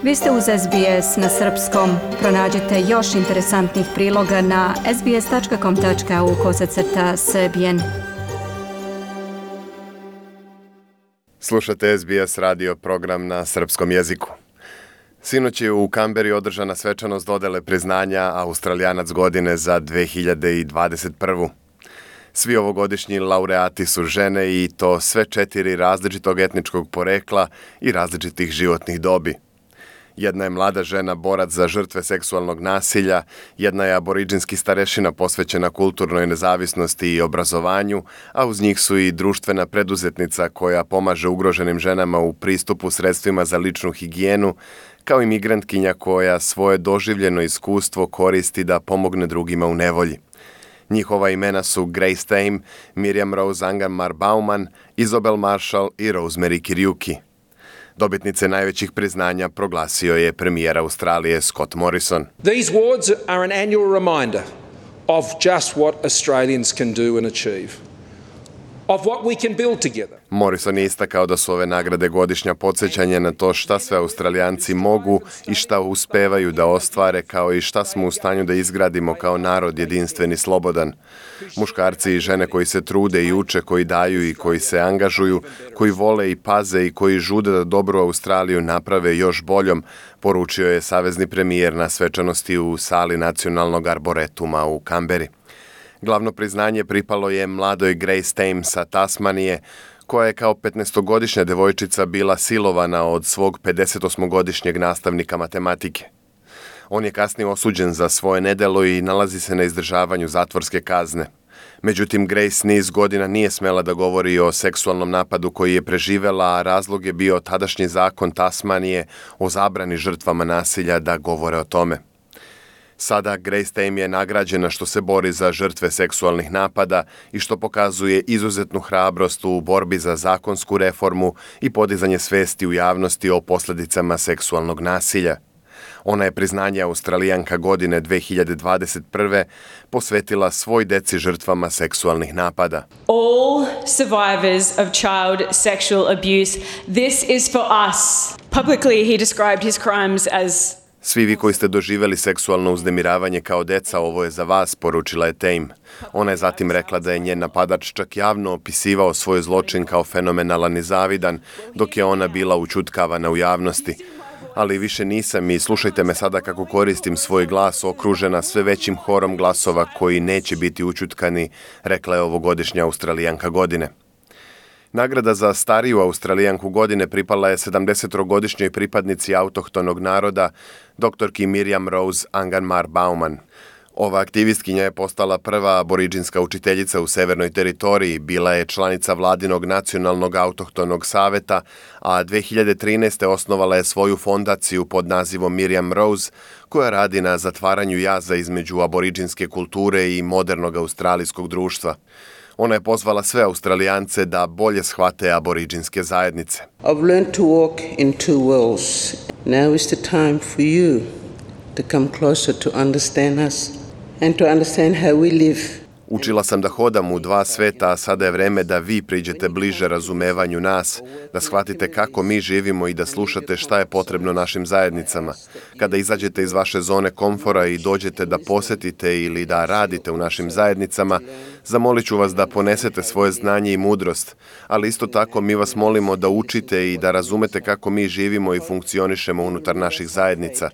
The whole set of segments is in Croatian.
Vi ste uz SBS na srpskom. Pronađite još interesantnih priloga na sbs.com.au/srbijen. Slušate SBS radio program na srpskom jeziku. Sinoć je u Kamberi održana svečanost dodele priznanja Australijanac godine za 2021. Svi ovogodišnji laureati su žene i to sve 4 različitog etničkog porekla i različitih životnih dobi. Jedna je mlada žena borac za žrtve seksualnog nasilja, jedna je aboriđinski starešina posvećena kulturnoj nezavisnosti i obrazovanju, a uz njih su i društvena preduzetnica koja pomaže ugroženim ženama u pristupu sredstvima za ličnu higijenu, kao i migrantkinja koja svoje doživljeno iskustvo koristi da pomogne drugima u nevolji. Njihova imena su Grace Tame, Miriam Rose Angan-Mar-Bauman, Isobel Marshall i Rosemary Kiriuki. Dobitnice najvećih priznanja proglasio je premijer Australije Scott Morrison. These awards are an annual reminder of just what Australians can do and achieve. Of what we can build together. Morrison je istakao da su ove nagrade godišnja podsjećanje na to šta sve Australijanci mogu i šta uspevaju da ostvare, kao i šta smo u stanju da izgradimo kao narod jedinstven i slobodan. Muškarci i žene koji se trude i uče, koji daju i koji se angažuju, koji vole i paze i koji žude da dobru Australiju naprave još boljom, poručio je savezni premijer na svečanosti u sali Nacionalnog arboretuma u Kamberi. Glavno priznanje pripalo je mladoj Grace Tame sa Tasmanije, koja je kao 15-godišnja devojčica bila silovana od svog 58-godišnjeg nastavnika matematike. On je kasnije osuđen za svoje nedelo i nalazi se na izdržavanju zatvorske kazne. Međutim, Grace niz godina nije smela da govori o seksualnom napadu koji je preživela, a razlog je bio tadašnji zakon Tasmanije o zabrani žrtvama nasilja da govore o tome. Sada Grace Tame je nagrađena što se bori za žrtve seksualnih napada i što pokazuje izuzetnu hrabrost u borbi za zakonsku reformu i podizanje svesti u javnosti o posljedicama seksualnog nasilja. Ona je priznanje Australijanka godine 2021. posvetila svoj deci žrtvama seksualnih napada. All survivors of child sexual abuse, this is for us. Publicly he described his crimes as Svi vi koji ste doživjeli seksualno uznemiravanje kao deca, ovo je za vas, poručila je Tame. Ona je zatim rekla da je njen napadač čak javno opisivao svoj zločin kao fenomenalan i zavidan, dok je ona bila ućutkavana u javnosti. Ali više nisam i slušajte me sada kako koristim svoj glas okružena sve većim horom glasova koji neće biti ućutkani, rekla je ovogodišnja Australijanka godine. Nagrada za stariju Australijanku godine pripala je 70-godišnjoj pripadnici autohtonog naroda, doktorki Miriam Rose Angan-Mar-Bauman. Ova aktivistkinja je postala prva aboriđinska učiteljica u Severnoj teritoriji, bila je članica vladinog nacionalnog autohtonog saveta, a 2013. osnovala je svoju fondaciju pod nazivom Miriam Rose, koja radi na zatvaranju jaza između aboriđinske kulture i modernog australijskog društva. Ona je pozvala sve Australijance da bolje shvate aboriđinske zajednice. I've learned to walk in two worlds. Now is the time for you to come closer to understand us and to understand how we live. Učila sam da hodam u dva sveta, a sada je vreme da vi priđete bliže razumevanju nas, da shvatite kako mi živimo i da slušate šta je potrebno našim zajednicama. Kada izađete iz vaše zone komfora i dođete da posjetite ili da radite u našim zajednicama, zamolit ću vas da ponesete svoje znanje i mudrost, ali isto tako mi vas molimo da učite i da razumete kako mi živimo i funkcionišemo unutar naših zajednica.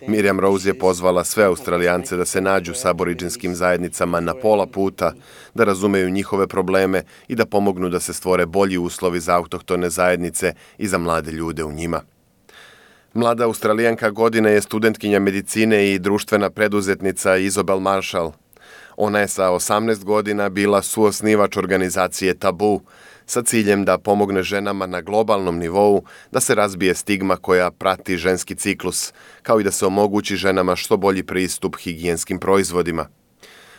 Miriam Rose je pozvala sve Australijance da se nađu s aboriđinskim zajednicama na pola puta, da razumeju njihove probleme i da pomognu da se stvore bolji uslovi za autohtone zajednice i za mlade ljude u njima. Mlada Australijanka godine je studentkinja medicine i društvena preduzetnica Isobel Marshall. Ona je sa 18 godina bila suosnivač organizacije Tabu, sa ciljem da pomogne ženama na globalnom nivou da se razbije stigma koja prati ženski ciklus, kao i da se omogući ženama što bolji pristup higijenskim proizvodima.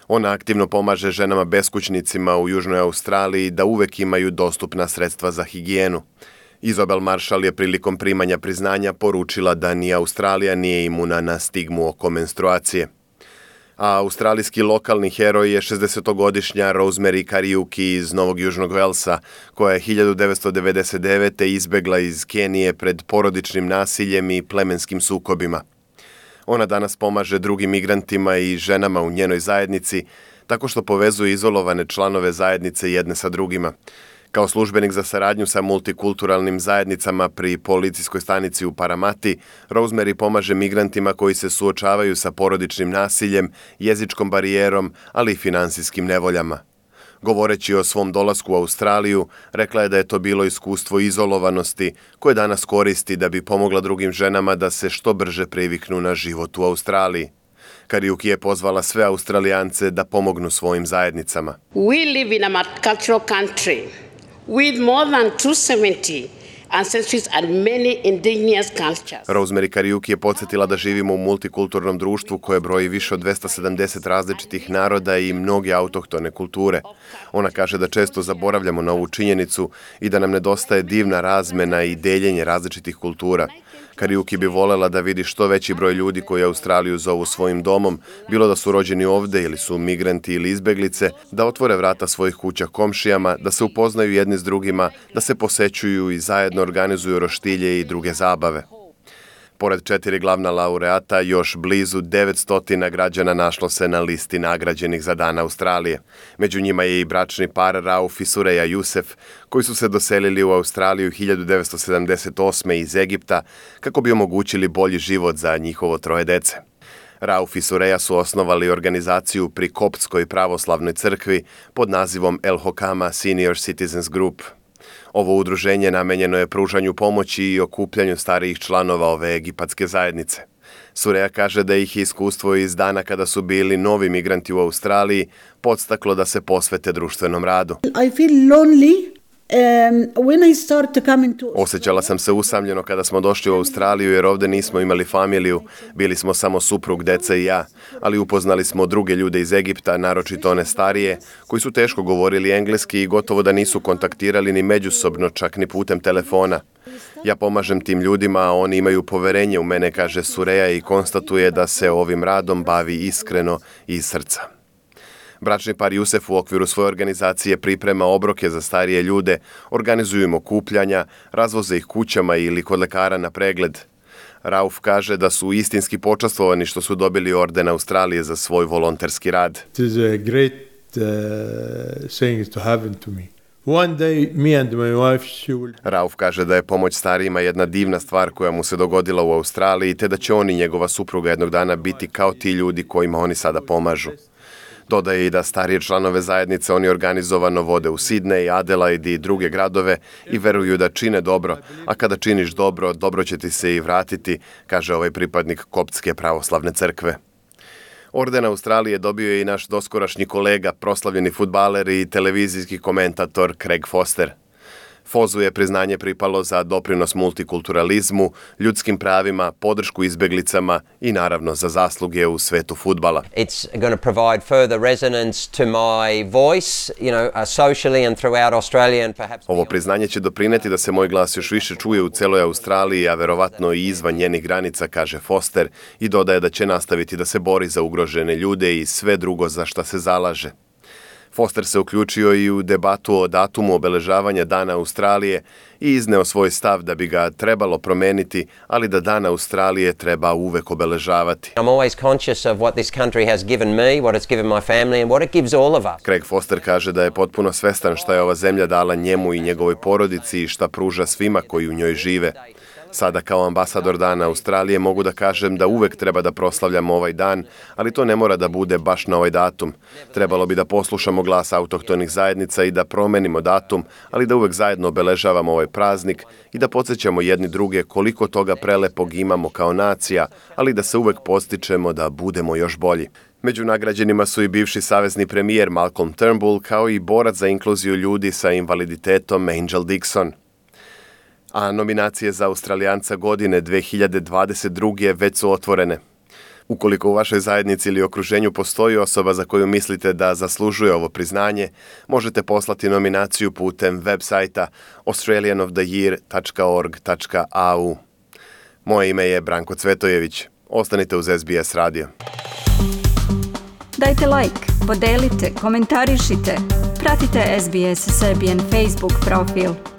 Ona aktivno pomaže ženama beskućnicima u Južnoj Australiji da uvek imaju dostupna sredstva za higijenu. Isobel Marshall je prilikom primanja priznanja poručila da ni Australija nije imuna na stigmu oko menstruacije. A australijski lokalni heroj je 60-godišnja Rosemary Kariuki iz Novog Južnog Velsa, koja je 1999. izbegla iz Kenije pred porodičnim nasiljem i plemenskim sukobima. Ona danas pomaže drugim migrantima i ženama u njenoj zajednici tako što povezuje izolovane članove zajednice jedne sa drugima. Kao službenik za saradnju sa multikulturalnim zajednicama pri policijskoj stanici u Paramati, Rosemary pomaže migrantima koji se suočavaju sa porodičnim nasiljem, jezičkom barijerom, ali i finansijskim nevoljama. Govoreći o svom dolasku u Australiju, rekla je da je to bilo iskustvo izolovanosti koje danas koristi da bi pomogla drugim ženama da se što brže priviknu na život u Australiji. Kariuki je pozvala sve Australijance da pomognu svojim zajednicama. We live in a multicultural country with more than 270 ancestries and many indigenous cultures. Rosemary Kariuki je podsjetila da živimo u multikulturnom društvu koje broji više od 270 različitih naroda i mnoge autohtone kulture. Ona kaže da često zaboravljamo na ovu činjenicu i da nam nedostaje divna razmena i deljenje različitih kultura. Kariuki bi volela da vidi što veći broj ljudi koji Australiju zovu svojim domom, bilo da su rođeni ovde ili su migranti ili izbeglice, da otvore vrata svojih kuća komšijama, da se upoznaju jedni s drugima, da se posećuju i zajedno organizuju roštilje i druge zabave. Pored 4 glavna laureata, još blizu 900 građana našlo se na listi nagrađenih za Dan Australije. Među njima je i bračni par Rauf i Sureja Jusef, koji su se doselili u Australiju 1978. iz Egipta kako bi omogućili bolji život za njihovo 3 dece. Rauf i Sureja su osnovali organizaciju pri Koptskoj pravoslavnoj crkvi pod nazivom El Hokama Senior Citizens Group. Ovo udruženje namenjeno je pružanju pomoći i okupljanju starijih članova ove egipatske zajednice. Sureja kaže da ih iskustvo iz dana kada su bili novi migranti u Australiji podstaklo da se posvete društvenom radu. I feel lonely. When I start to come into... Osjećala sam se usamljeno kada smo došli u Australiju jer ovdje nismo imali familiju, bili smo samo suprug, deca i ja, ali upoznali smo druge ljude iz Egipta, naročito one starije, koji su teško govorili engleski i gotovo da nisu kontaktirali ni međusobno, čak ni putem telefona. Ja pomažem tim ljudima, a oni imaju poverenje u mene, kaže Sureja i konstatuje da se ovim radom bavi iskreno i iz srca. Bračni par Jusef u okviru svoje organizacije priprema obroke za starije ljude, organizuju im okupljanja, razvoze ih kućama ili kod lekara na pregled. Rauf kaže da su istinski počastvovani što su dobili orden Australije za svoj volonterski rad. It is a great thing to happen to me. One day, me and my wife, she will... Rauf kaže da je pomoć starijima jedna divna stvar koja mu se dogodila u Australiji, te da će on i njegova supruga jednog dana biti kao ti ljudi kojima oni sada pomažu. Dodaje i da starije članove zajednice oni organizovano vode u Sydney, Adelaide i druge gradove i veruju da čine dobro, a kada činiš dobro, dobro će ti se i vratiti, kaže ovaj pripadnik Koptske pravoslavne crkve. Orden Australije dobio je i naš doskorašnji kolega, proslavljeni fudbaler i televizijski komentator Craig Foster. Fozu je priznanje pripalo za doprinos multikulturalizmu, ljudskim pravima, podršku izbeglicama i naravno za zasluge u svetu fudbala. It's going to provide further resonance to my voice, socially and throughout Australia and perhaps... Ovo priznanje će doprineti da se moj glas još više čuje u celoj Australiji, a verovatno i izvan njenih granica, kaže Foster, i dodaje da će nastaviti da se bori za ugrožene ljude i sve drugo za šta se zalaže. Foster se uključio i u debatu o datumu obeležavanja Dana Australije i izneo svoj stav da bi ga trebalo promeniti, ali da Dan Australije treba uvek obeležavati. I'm always conscious of what this country has given me, what it's given my family and what it gives all of us. Craig Foster kaže da je potpuno svestan šta je ova zemlja dala njemu i njegovoj porodici i šta pruža svima koji u njoj žive. Sada kao ambasador Dana Australije mogu da kažem da uvek treba da proslavljamo ovaj dan, ali to ne mora da bude baš na ovaj datum. Trebalo bi da poslušamo glas autohtonih zajednica i da promenimo datum, ali da uvek zajedno obeležavamo ovaj praznik i da podsjećamo jedni druge koliko toga prelepog imamo kao nacija, ali da se uvek podstičemo da budemo još bolji. Među nagrađenima su i bivši savezni premijer Malcolm Turnbull, kao i borac za inkluziju ljudi sa invaliditetom Angel Dixon. A nominacije za Australijanca godine 2022. već su otvorene. Ukoliko u vašoj zajednici ili okruženju postoji osoba za koju mislite da zaslužuje ovo priznanje, možete poslati nominaciju putem web sajta australianoftheyear.org.au. Moje ime je Branko Cvetojević. Ostanite uz SBS radio. Dajte like, podelite, komentarišite. Pratite SBS Serbian Facebook profil.